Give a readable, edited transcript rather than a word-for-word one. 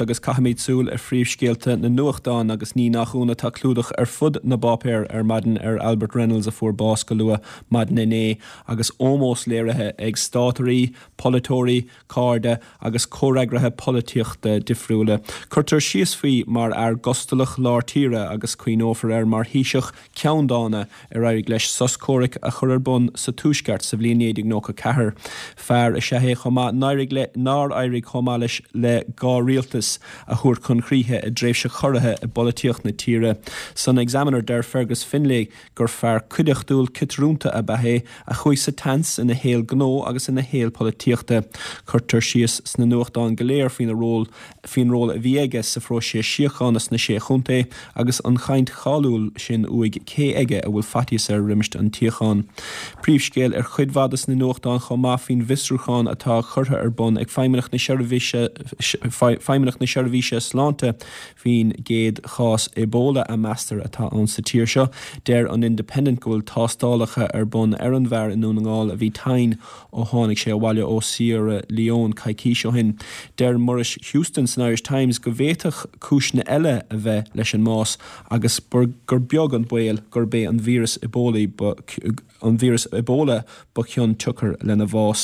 Agus caithfimid súil ar phríomhscéalta na nuachtán agus ní nach ionadh tá clúdach ar fud na bpáipéar ar maidin ar Albert Reynolds a fuair bás go luath maidin inné agus ómós léirithe ag státairí, polaiteoirí, cairde agus comhfhreagraithe polaitíochta difriúla. Cuirtear síos faoi mar fhear gustalach lár tíre agus cuimhneofar air mar Thaoiseach ceanndána ar éirigh leis sos comhraic a chur ar bun sa Tuaisceart sa bhliain 1994. Fear is ea é chomh maith nár éirigh chomh maith leis le gá rialtas a thabhairt chun críche i dtréimhse chorraithe i bpolaitíocht na tíre. San Examiner deir Fergus Finlay gur fear cuideachtúil ciotrúnta ab ea é a chuaigh sa tseans ina shaol gnó agus ina shaol polaitíochta. Cuirtear síos sna nuachtáin go léir faoina ról faoin ról a bhí aige sa phróiseas síochána sna Sé Chontae agus an chaint cháiliúil sin uaidh cé aige a bhfuil faitíos air roimis an tsíocháin. Príomhscéal ar chuid mhaith de na nuachtáin chomh maith faoin bhfiosrúchán atá curtha ar bun ag Feidhmeannacht na Seirbhíse Feidhmeannacht na Seirbhíse Sláinte faoin gcéad chás Ebola a meastar atá ann sa tír seo. Deir an Independent go bhfuil tástálacha ar bun ar an bhfear i nDún na nGall a bhí tinn Ó tháinig sé abhaile ó Sierra Leone coicís ó shin, deir Muiris Houston san Irish Times go bhféadfadh cúiseanna eile a bheith leis an mbás agus gur beag an baol gurb é an víreas Ebola ba an víreas Ebola ba chionsiocair lena bhás.